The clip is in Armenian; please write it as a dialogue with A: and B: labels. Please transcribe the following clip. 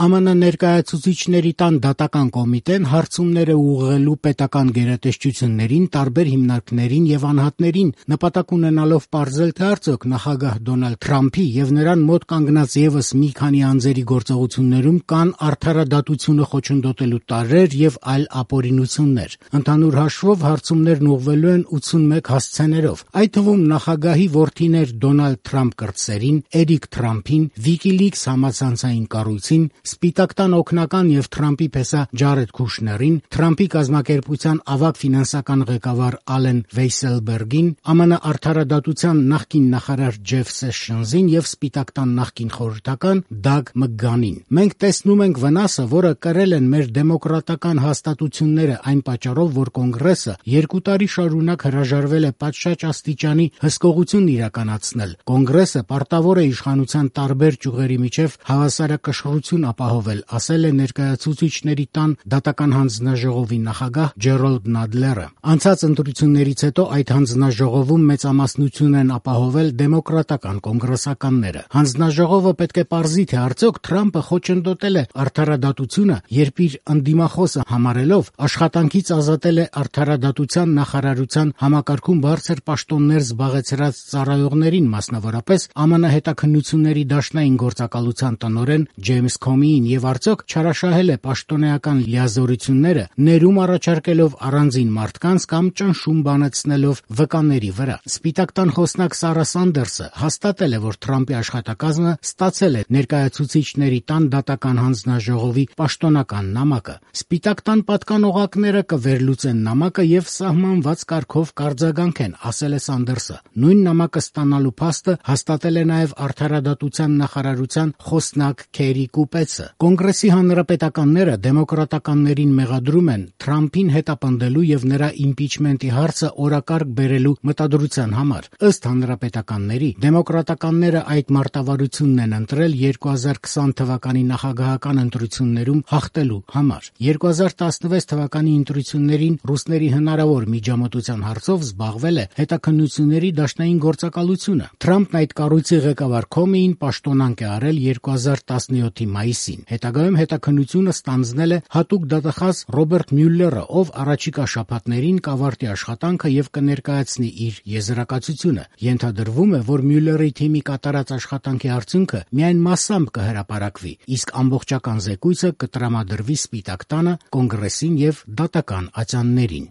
A: ԱՄՆ ներկայացուցիչների տան դատական կոմիտեն հարցումներ է ուղղելու պետական գերատեսչություններին, տարբեր հիմնարկներին եւ անհատներին, նպատակ ունենալով պարզել, թե արդյոք նախագահ Դոնալդ Թրամփի եւ նրան մոտ կանգնած եւս մի քանի անձերի գործողություններում կան արդարադատությունը խոչընդոտելու տարրեր եւ այլ ապօրինություններ։ Ընդհանուր հաշվով հարցումներն ուղղվելու են 81 հասցեներով, այդ թվում նախագահի որդիներ Դոնալդ Թրամփ կրտսերին, Էրիկ Թրամփին, WikiLeaks համացանցային կառույցին, Սպիտակ տան օգնական եւ Թրամփի փեսա Ջարեդ Քուշներին, Թրամփի կազմակերպության ավագ ֆինանսական ղեկավար Ալեն Վեյսելբերգին, ԱՄՆ արդարադատության նախկին նախարար Ջեֆ Սեշնսին եւ Սպիտակ տան նախկին խորհրդական Դագ Մկգանին։ Մենք տեսնում ենք վնասը, որը կրել են մեր դեմոկրատական հաստատությունները այն պատճառով, որ Կոնգրեսը 2 տարի շարունակ հրաժարվել է պատշաճ աստիճանի հսկողություն իրականացնել։ Կոնգրեսը պարտավոր է իշխանության տարբեր ճյուղերի միջև հավասարակշռություն ապահովել, ասել է ներկայացուցիչների տան դատական հանձնաժողովի նախագահ Ջերոլդ Նադլերը։ Անցած ընտրություններից հետո այդ հանձնաժողովում մեծամասնություն են ապահովել դեմոկրատական կոնգրեսականները։ Հանձնաժողովը պետք է պարզի, թե արդյոք Թրամփը խոչընդոտել է արդարադատությունը, երբ իր ընդդիմախոսը համարելով աշխատանքից ազատել է արդարադատության նախարարության համակարգում բարձր պաշտոններ զբաղեցրած ծառայողներին, մասնավորապես ԱՄՆ հետաքննությունների դաշնային գործակալության տնօրեն Ջեյմս Քոմիին, եւ արդյոք չարաշահել է պաշտոնեական լիազորությունները, ներում առաջարկելով առանձին մարդկանց կամ ճնշում բանեցնելով վկաների վրա։ Սպիտակ տան խոսնակ Սարա Սանդերսը հաստատել է, որ Թրամփի աշխատակազմը ստացել է ներկայացուցիչների տան դատական հանձնաժողովի պաշտոնական նամակը։ Սպիտակ տան պատկանողակները կվերլուծեն նամակը եւ սահմանված կարգով կարձագանքեն, ասել է Սանդերսը։ Նույն նամակը ստանալու փաստը հաստատել է նաեւ արդարադատության նախարարության խոսնակ Քերի Կուպեցը։ Կոնգրեսի հանրապետականները դեմոկրատականներին մեղադրում են Թրամփին հետապնդելու եւ նրա իմպիչմենտի հարցը օրակարգ բերելու մտադրության համար։ Ըստ հանրապետականների, դեմոկրատականները այդ մարտավարությունն են ընտրել 2020 թվականի նախագահական ընտրություններում հաղթելու համար։ 2016 թվականի ընտրություններին ռուսների հնարավոր միջամտության հարցով զբաղվել է հետաքննությունների դաշնային գործակալությունը։ Թրամփն այդ կառույցի ղեկավար Քոմիին պաշտոնանկ է արել 2017-ի մայիսին։ Հետագայում հետաքննությունը ստանձնել է հատուկ դատախազ Ռոբերտ Մյուլլերը, ով առաջիկա շաբաթներին կավարտի աշխատանքը եւ կներկայացնի իր եզրակացությունը։ Ենթադրվում է, որ Մյուլլերի թիմի կատարած աշխատանքի արդյունքը միայն մասամբ կհրապարակվի, իսկ ամբողջական զեկույցը կտրամադրվի Սպիտակ տանը, Կոնգրեսին եւ դատական ատյաններին։